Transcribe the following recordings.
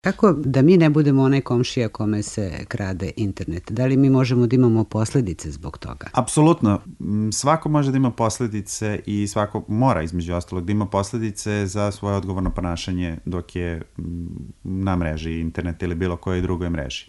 Kako da mi ne budemo onaj komšija kome se krade internet? Da li mi možemo da imamo posledice zbog toga? Apsolutno. Svako može da ima posledice i svako mora, između ostalog, da ima posledice za svoje odgovorno ponašanje dok je na mreži internet ili bilo kojoj drugoj mreži.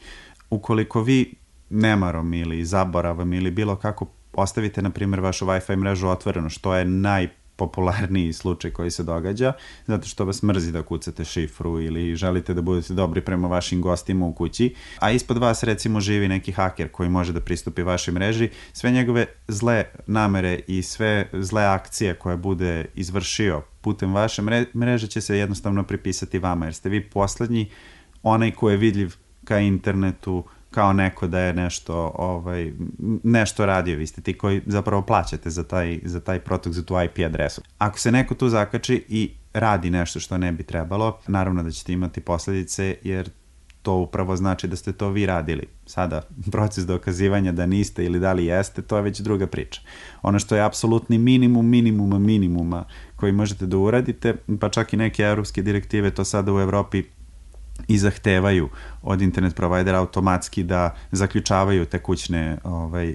Ukoliko vi nemarom ili zaboravom ili bilo kako ostavite, na primjer, vašu Wi-Fi mrežu otvorenu, što je najpopularniji slučaj koji se događa, zato što vas mrzi da kucate šifru ili želite da budete dobri prema vašim gostima u kući, a ispod vas recimo živi neki haker koji može da pristupi vašoj mreži, sve njegove zle namere i sve zle akcije koje bude izvršio putem vaše mreže će se jednostavno pripisati vama, jer ste vi poslednji, onaj ko je vidljiv ka internetu, kao neko da je nešto radio, vi ste ti koji zapravo plaćate za taj protok, za tu IP adresu. Ako se neko tu zakači i radi nešto što ne bi trebalo, naravno da ćete imati posledice, jer to upravo znači da ste to vi radili. Sada, proces dokazivanja da niste ili da li jeste, to je već druga priča. Ono što je apsolutni minimuma koji možete da uradite, pa čak i neke evropske direktive to sada u Evropi i zahtevaju od internet provajdera automatski da zaključavaju te kućne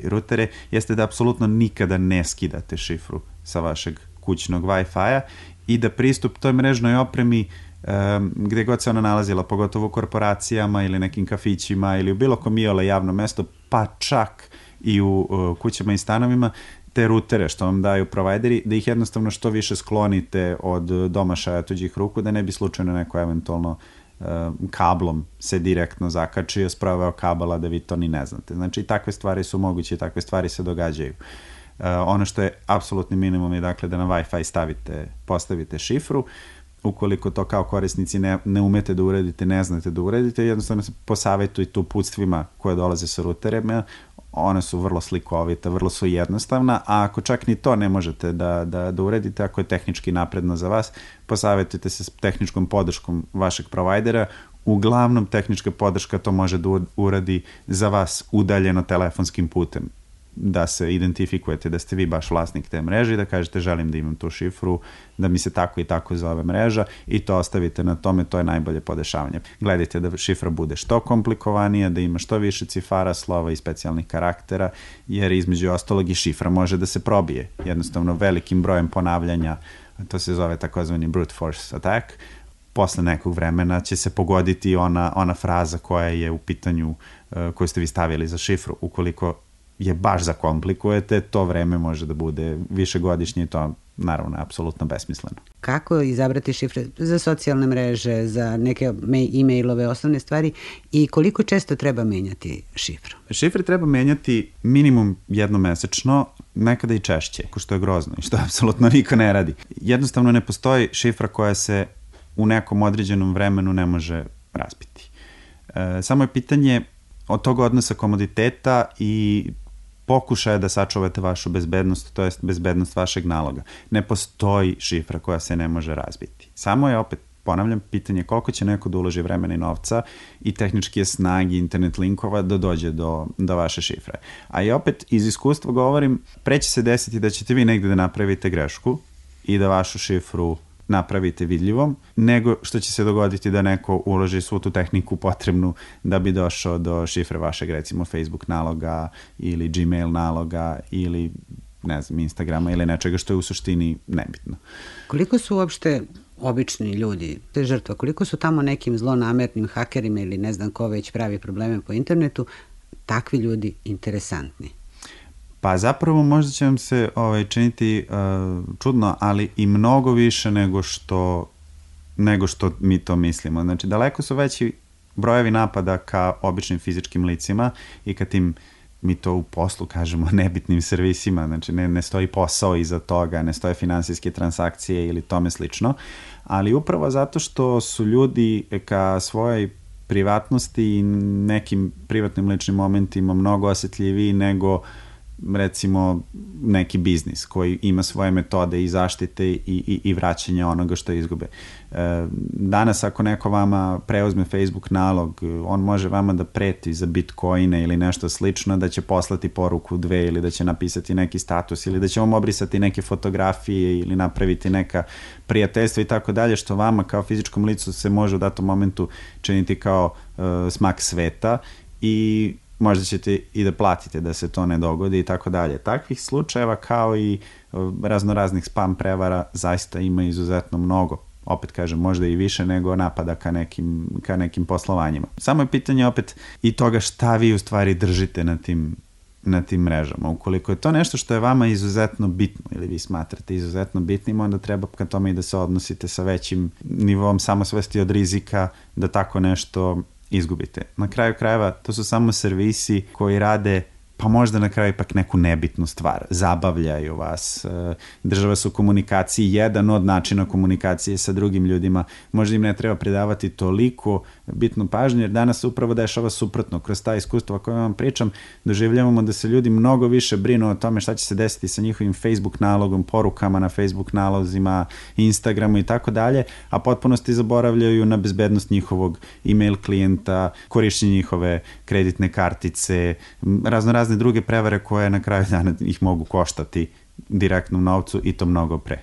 rutere, jeste da apsolutno nikada ne skidate šifru sa vašeg kućnog Wi-Fi-a i da pristup toj mrežnoj opremi gde god se ona nalazila, pogotovo u korporacijama ili nekim kafićima ili u bilo kom iole javno mesto, pa čak i u kućama i stanovima, te rutere što vam daju provajderi, da ih jednostavno što više sklonite od domašaja tuđih ruku, da ne bi slučajno neko eventualno kablom se direktno zakačio, sproveo kabala da vi to ni ne znate. Znači, takve stvari su moguće i takve stvari se događaju. Ono što je apsolutni minimum je dakle da na Wi-Fi postavite šifru. Ukoliko to kao korisnici ne umete da uradite, ne znate da uradite, jednostavno se posavetujte uputstvima koje dolaze sa ruterima. One su vrlo slikovita, vrlo su jednostavna, a ako čak ni to ne možete da uradite, ako je tehnički napredno za vas, posavetujte se s tehničkom podrškom vašeg provajdera. Uglavnom, tehnička podrška to može da uradi za vas udaljeno telefonskim putem, da se identifikujete da ste vi baš vlasnik te mreže i da kažete želim da imam tu šifru, da mi se tako i tako zove mreža i to ostavite na tome, to je najbolje podešavanje. Gledajte da šifra bude što komplikovanija, da ima što više cifara, slova i specijalnih karaktera, jer između ostalog i šifra može da se probije. Jednostavno velikim brojem ponavljanja, to se zove takozvani brute force attack, posle nekog vremena će se pogoditi ona fraza koja je u pitanju, koju ste vi stavili za šifru. Ukoliko je baš zakomplikujete, to vreme može da bude višegodišnje i to naravno je apsolutno besmisleno. Kako izabrati šifre za socijalne mreže, za neke e-mailove, osnovne stvari i koliko često treba menjati šifru? Šifre treba menjati minimum jednom mesečno, nekada i češće, što je grozno i što apsolutno niko ne radi. Jednostavno ne postoji šifra koja se u nekom određenom vremenu ne može razbiti. Samo je pitanje od tog odnosa komoditeta i pokušaja da sačuvate vašu bezbednost, to jest bezbednost vašeg naloga. Ne postoji šifra koja se ne može razbiti. Samo je, opet ponavljam, pitanje koliko će neko da uloži vremena i novca i tehničke snage internet linkova da dođe do vaše šifre. A i opet iz iskustva govorim, pre će se desiti da ćete vi negde da napravite grešku i da vašu šifru napravite vidljivom, nego što će se dogoditi da neko uloži svu tu tehniku potrebnu da bi došao do šifre vašeg, recimo, Facebook naloga ili Gmail naloga ili, ne znam, Instagrama ili nečega što je u suštini nebitno. Koliko su uopšte obični ljudi, te žrtva, koliko su tamo nekim zlonamernim hakerima ili ne znam ko već pravi probleme po internetu, takvi ljudi interesantni? Pa zapravo možda će vam se činiti čudno, ali i mnogo više nego što mi to mislimo. Znači, daleko su veći brojevi napada ka običnim fizičkim licima i ka tim, mi to u poslu kažemo, nebitnim servisima. Znači, ne stoji posao iza toga, ne stoje finansijske transakcije ili tome slično, ali upravo zato što su ljudi ka svojoj privatnosti i nekim privatnim ličnim momentima mnogo osetljiviji nego recimo neki biznis koji ima svoje metode i zaštite i vraćanja onoga što izgube. Danas ako neko vama preuzme Facebook nalog, on može vama da preti za bitcoine ili nešto slično, da će poslati poruku 2 ili da će napisati neki status ili da će vam obrisati neke fotografije ili napraviti neka prijateljstva i tako dalje, što vama kao fizičkom licu se može u datom momentu činiti kao smak sveta i možda ćete i da platite da se to ne dogodi i tako dalje. Takvih slučajeva kao i raznoraznih spam prevara zaista ima izuzetno mnogo. Opet kažem, možda i više nego napada ka nekim poslovanjima. Samo je pitanje opet i toga šta vi u stvari držite na tim mrežama. Ukoliko je to nešto što je vama izuzetno bitno ili vi smatrate izuzetno bitnim, onda treba ka tome i da se odnosite sa većim nivom samosvesti od rizika da tako nešto izgubite. Na kraju krajeva to su samo servisi koji rade pa možda na kraju ipak neku nebitnu stvar. Zabavljaju vas, drže vas u komunikaciji, jedan od načina komunikacije sa drugim ljudima. Možda im ne treba predavati toliko bitnu pažnju, jer danas se upravo dešava suprotno. Kroz ta iskustva koje vam pričam, doživljavamo da se ljudi mnogo više brinu o tome šta će se desiti sa njihovim Facebook nalogom, porukama na Facebook nalozima, Instagramu i tako dalje, a potpunosti zaboravljaju na bezbednost njihovog email klijenta, korišćenje njihove kreditne kartice, razne druge prevare koje na kraju dana ih mogu koštati direktnom novcu i to mnogo pre.